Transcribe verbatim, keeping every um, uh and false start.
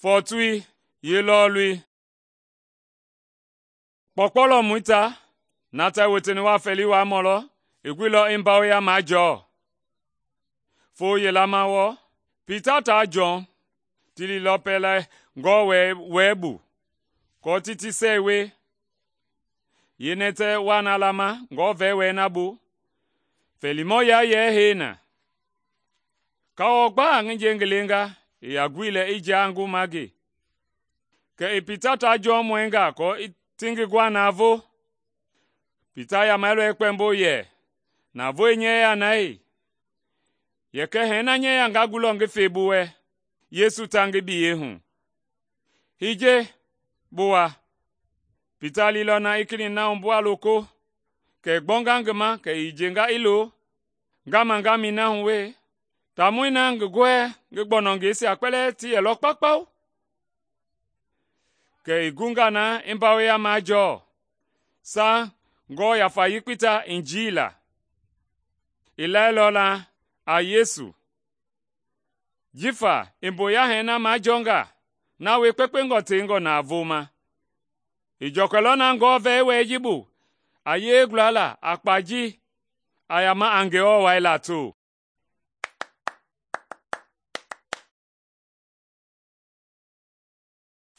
Fɔɔtoi yeelɔɔlui. Kpɔkpɔlɔmɔi ta, na ta woteni wa fɛɛli wuaamɔ lɔ, i guilɔ i mbawoya majɔɔ. Foo yila ma wɔɔ, Pita taa Jɔn ti liilɔ pɛlɛ ngɔɔ wɛɛ bu aako ti ti sɛɛi wie. Yeenɛtɛ waa na lama ngɔɔ wɛi na bu, fɛɛlimɔ yayɛɛ hei na. Kawɔ gbaa ngi nje ngi lenga i yaa guilɛ i jia ngi ma ngi. Kɛ i Pita taa Jɔn mɔɛnga aako ti ngi guaa navoo. Pita yamɛilɔ i kpɛmbo yɛ, “Navoei nyɛɛ na hei? Yɛkɛ hɛɛ nyɛɛ nga gulɔ ngi fe bi wɛ Yesu ta ngi biyei hu. Hiye, bi wa.” Pita liilɔ na i kenɛi na wumbu a loko, kɛ i gbɔnga ngi ma kɛ i hiyenga i lo, ngama-ngamɛi na hu wee. Taamɔi na ngi gɔɛ ngi gbɔnɔngeisia kpɛlɛɛ ti yɛlɔ kpaukpau. Kɛ i gunga na i mbawoya majɔɔ, saŋ ngɔɔ yafa yekpei ta i njiila. I lailɔ na a Yesu, jifa i mboya hɛɛ na majɔɔnga na wie kpekpengɔ tengɔ navoo ma. I jɔkɛlɔ na ngɔɔ vɛɛwɛi ji bu a yee gulala a kpa ji a yama a Ngewɔ wai lato.